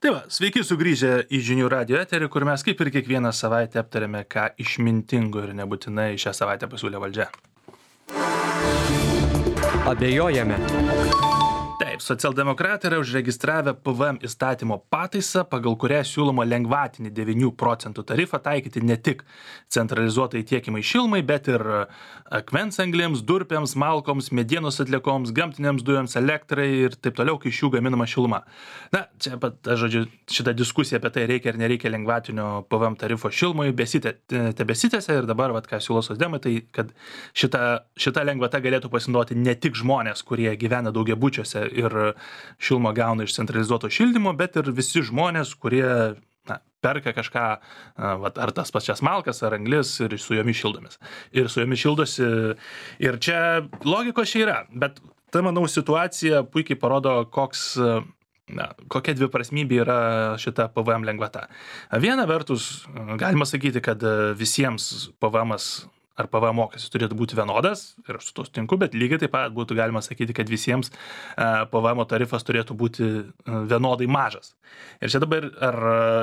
Tai va, sveiki sugrįžę į žinių radio eterį, kur mes kaip ir kiekvieną savaitę aptarėme, ką išmintingo ir nebūtinai šią savaitę pasiūlė valdžia. Abejojame. Taip, socialdemokratai yra užregistravę PVM įstatymo pataisą, pagal kurią siūloma lengvatinį 9% tarifą taikyti ne tik centralizuotai tiekimai šilumai, bet ir akmens anglėms, durpėms, malkoms, medienos atliekoms, gamtinėms dujoms, elektrai ir taip toliau, kai iš jų gaminama šiluma. Na, čia pat, žodžiu, šita diskusija apie tai reikia ar nereikia lengvatinio PVM tarifo šilumai tebesitęsia ir dabar, ką siūlo socdemai, tai kad šita lengvata galėtų pasinaudoti ne tik žmonės, kurie gyvena daugiabučiuose ir šilumą gauna iš centralizuoto šildymo, bet ir visi žmonės, kurie perka kažką, ar tas pačias malkas, ar anglis ir su jomis šildomis. Ir su jomis šildosi. Ir čia logikos čia yra, bet ta, manau, situacija puikiai parodo, kokia dviprasmybė yra šita PVM lengvata. Viena vertus, galima sakyti, kad visiems PVM'as ar PVM mokestis turėtų būti vienodas, ir aš su to sutinku, bet lygiai taip pat būtų galima sakyti, kad visiems PVM tarifas turėtų būti vienodai mažas. Ir čia dabar,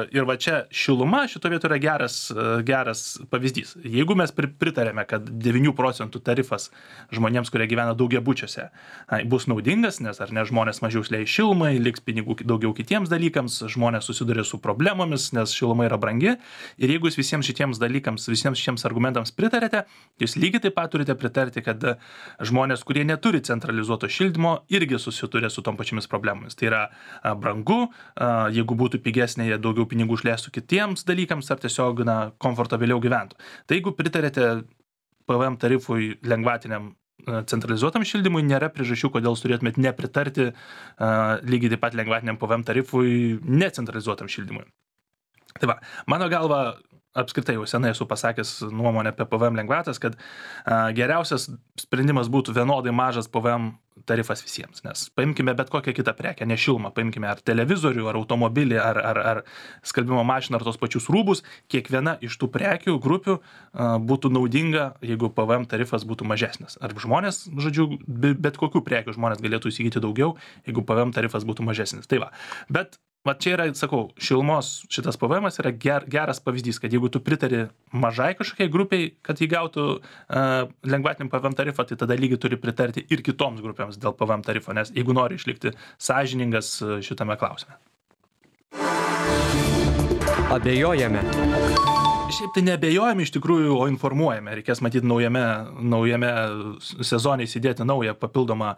ir va čia šiluma šito vieto yra geras pavyzdys. Jeigu mes pritarėme, kad 9% tarifas žmonėms, kurie gyvena daugiabučiuose, bus naudingas, nes ar ne žmonės mažiau leis šilumai, liks pinigų daugiau kitiems dalykams, žmonės susiduria su problemomis, nes šiluma yra brangi. Ir jeigu jūs visiems šitiems argumentams pritarėte, jūs lygiai taip pat turite pritarti, kad žmonės, kurie neturi centralizuoto šildymo, irgi susiduria su tom pačiamis problemomis. Tai yra brangu, jeigu būtų pigesnė, jie daugiau pinigų išleistų kitiems dalykams ar tiesiog komfortabiliau gyventų. Tai jeigu pritarėte PVM tarifui lengvatiniam centralizuotam šildymui, nėra priežasčių, kodėl turėtumėt nepritarti lygiai taip pat lengvatiniam PVM tarifui necentralizuotam šildymui. Tai va, mano galva, apskritai jau senai esu pasakęs nuomonę apie PVM lengvatas, kad geriausias sprendimas būtų vienodai mažas PVM tarifas visiems, nes paimkime bet kokią kitą prekę, ne šilumą, paimkime ar televizorių, ar automobilį, ar skalbimo mašiną, ar tos pačius rūbus, kiekviena iš tų prekių grupių būtų naudinga, jeigu PVM tarifas būtų mažesnis. Ar žmonės, žodžiu, bet kokių prekių žmonės galėtų įsigyti daugiau, jeigu PVM tarifas būtų mažesnis. Tai va, bet čia yra, sakau, šilumos šitas PVM'as yra geras pavyzdys, kad jeigu tu pritari mažai kažkokiai grupiai, kad jį gautų lengvatinį PVM tarifą, tai tada lygiai turi pritarti ir kitoms grupėms dėl PVM tarifo, nes jeigu nori išlikti sąžiningas šitame klausime. Abejojame. Šiaip tai neabejojame iš tikrųjų, o informuojame. Reikės matyti naujame sezone įsidėti naują papildomą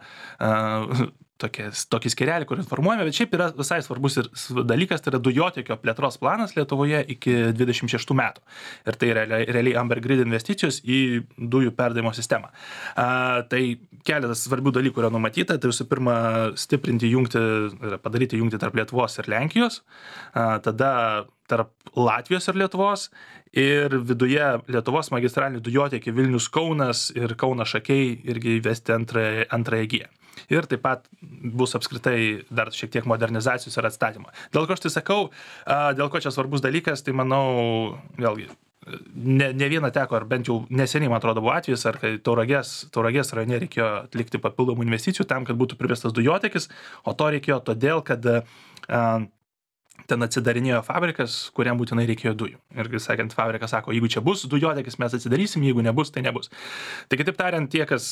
tokį skyrelį, kur informuojame, bet šiaip yra visai svarbus ir dalykas, tai yra dujotiekio plėtros planas Lietuvoje iki 26 metų. Ir tai realiai Amber Grid investicijos į dujų perdavimo sistemą. Tai keletas svarbių dalykų yra numatyta. Tai visų pirma, padaryti jungtį tarp Lietuvos ir Lenkijos, tada tarp Latvijos ir Lietuvos ir viduje Lietuvos magistralinį dujotiekį Vilnius Kaunas ir Kaunas Šakiai irgi įvesti antrąją giją. Ir taip pat bus apskritai dar šiek tiek modernizacijos ir atstatymo. Dėl ko aš tai sakau, dėl ko čia svarbus dalykas, tai manau, vėlgi, ne vieną teko, ar bent jau neseniai, man atrodo, buvo atvejis, ar kai Tauragės rajone reikėjo atlikti papildomų investicijų tam, kad būtų privestas dujotiekis, o to reikėjo todėl, kad ten atsidarinėjo fabrikas, kuriam būtinai reikėjo dujų. Ir, sakant, fabrikas sako, jeigu čia bus dujotiekis, mes atsidarysim, jeigu nebus, tai nebus. Tai kitaip tariant, tie, kas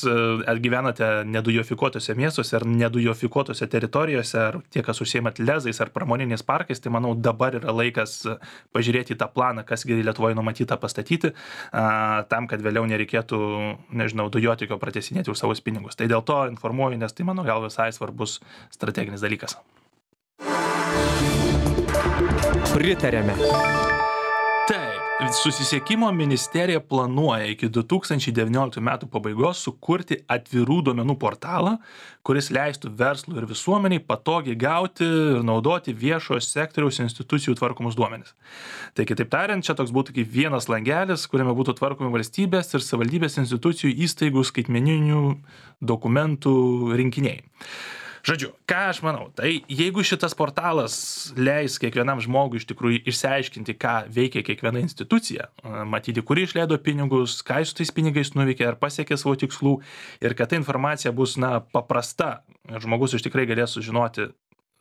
gyvenate nedujofikuotose miestuose ar nedujofikuotose teritorijose, ar tie, kas užsiemat lezais ar pramoniniais parkais, tai manau dabar yra laikas pažiūrėti į tą planą, kas Lietuvoje numatyta pastatyti, tam, kad vėliau nereikėtų, dujotiekio pratesinėti už savus pinigus. Tai dėl to informuoju, nes tai mano gal visai svarbus strateginis dalykas. Pritarėme. Taip, Susisiekimo ministerija planuoja iki 2019 metų pabaigos sukurti atvirų duomenų portalą, kuris leistų verslui ir visuomeniai patogiai gauti ir naudoti viešojo sektoriaus institucijų tvarkomus duomenis. Tai kitaip tariant, čia toks būtų kaip vienas langelis, kuriame būtų tvarkomi valstybės ir savivaldybės institucijų įstaigų skaitmeninių dokumentų rinkiniai. Žodžiu, ką aš manau, tai jeigu šitas portalas leis kiekvienam žmogui iš tikrųjų išsiaiškinti, ką veikia kiekviena institucija, matyti, kuri išleido pinigus, ką su tais pinigais nuveikė, ar pasiekė savo tikslų, ir kad ta informacija bus paprasta, žmogus iš tikrai galės sužinoti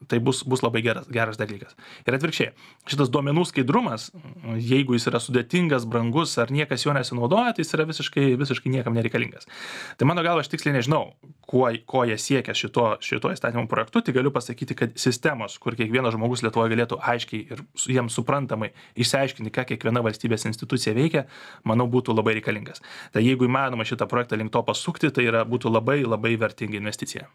tai bus labai geras dalykas. Ir atvirkščiai, šitas duomenų skaidrumas, jeigu jis yra sudėtingas, brangus ar niekas jo nesinaudoja, tai jis yra visiškai niekam nereikalingas. Tai mano galva, aš tiksliai nežinau, ko jie siekia šito įstatymo projektu, tai galiu pasakyti, kad sistemos, kur kiekvienas žmogus Lietuvoje galėtų aiškiai ir jiems suprantamai išsiaiškinti, ką kiekviena valstybės institucija veikia, manau, būtų labai reikalingas. Tai jeigu įmanoma šitą projektą link to pasukti, tai būtų labai vertinga investicija.